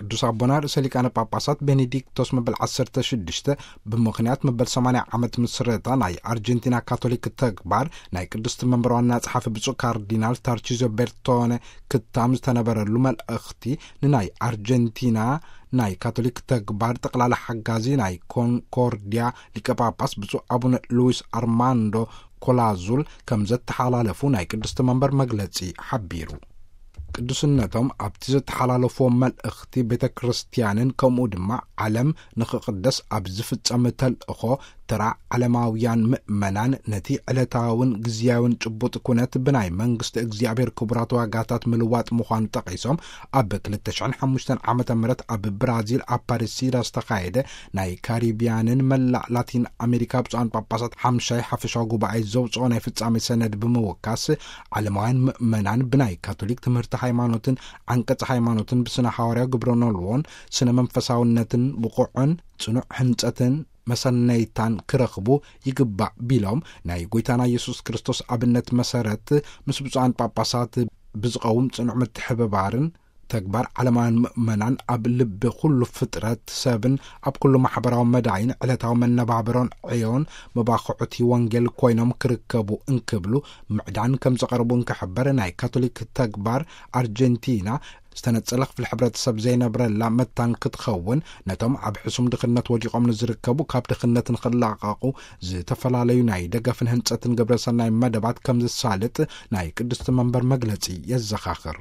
ቅዱስ ኣቦና ርእሰ ሊቃነ ጳጳሳት ቤኔዲክቶስ መበል ዓሰርተ ሽዱሽተ፣ ብምኽንያት መበል ሰማንያ ዓመት ምስረታ ናይ ኣርጀንቲና ካቶሊክ ተግባር፣ ናይ ቅድስቲ መንበር ዋና ጸሓፊ ብፁዕ ካርዲናል ታርቺዞ ቤርቶነ ክታም ዝተነበረሉ መልእኽቲ፣ ንናይ ኣርጀንቲና ናይ ካቶሊክ ተግባር ጠቕላላ ሓጋዚ ናይ ኮንኮርዲያ ሊቀ ጳጳስ ብፁዕ ኣቡነ ሉዊስ ኣርማንዶ ኮላዙል ከም ዘተሓላለፉ ናይ ቅድስቲ መንበር መግለጺ ሓቢሩ። ቅዱስነቶም ኣብቲ ዘተሓላለፍዎ መልእኽቲ፣ ቤተ ክርስቲያንን ከምኡ ድማ ዓለም ንኽቕደስ ኣብ ዝፍጸም ተልእኾ፣ ተራ ዓለማውያን ምእመናን ነቲ ዕለታውን ግዝያውን ጭቡጥ ኩነት ብናይ መንግስቲ እግዚኣብሔር ክቡራት ዋጋታት ምልዋጥ ምዃኑ ጠቒሶም፣ ኣብ ክልተ ሽሕን ሓሙሽተን ዓመተ ምህረት ኣብ ብራዚል ኣብ ፓሪሲዳ ዝተኻየደ ናይ ካሪቢያንን መላእ ላቲን ኣሜሪካ ብፁዓን ጳጳሳት ሓምሻይ ሓፈሻዊ ጉባኤ ዘውፅኦ ናይ ፍጻሜ ሰነድ ብምውካስ፣ ዓለማውያን ምእመናን ብናይ ካቶሊክ ትምህርቲ ሃይማኖትን ዓንቀጽ ሃይማኖትን ብስነ ሃዋርያዊ ግብረ ኖልዎን ስነ መንፈሳውነትን ብቑዕን ጽኑዕ ህንጸትን መሰነይታን ክረኽቡ ይግባእ ቢሎም፣ ናይ ጎይታና ኢየሱስ ክርስቶስ ኣብነት መሰረት ምስ ብፁዓን ጳጳሳት ብዝቐውም ጽኑዕ ምትሕብባርን፣ ተግባር ዓለማውያን ምእመናን ኣብ ልቢ ኩሉ ፍጥረት ሰብን ኣብ ኩሉ ማሕበራዊ መዳይን ዕለታዊ መነባብሮን ዕዮን መባኹዕቲ ወንጌል ኮይኖም ክርከቡ እንክብሉ ምዕዳን ከም ዘቐርቡ እንክሕበር፣ ናይ ካቶሊክ ተግባር ኣርጀንቲና ዝተነጸለ ክፍሊ ሕብረተሰብ ዘይነብረላ መታን ክትኸውን፣ ነቶም ኣብ ሕሱም ድኽነት ወዲቖም ንዝርከቡ ካብ ድኽነት ንኽላቐቑ ዝተፈላለዩ ናይ ደገፍን ህንጸትን ግብረሰናይ መደባት ከም ዝሳልጥ ናይ ቅድስቲ መንበር መግለጺ የዘኻኽር።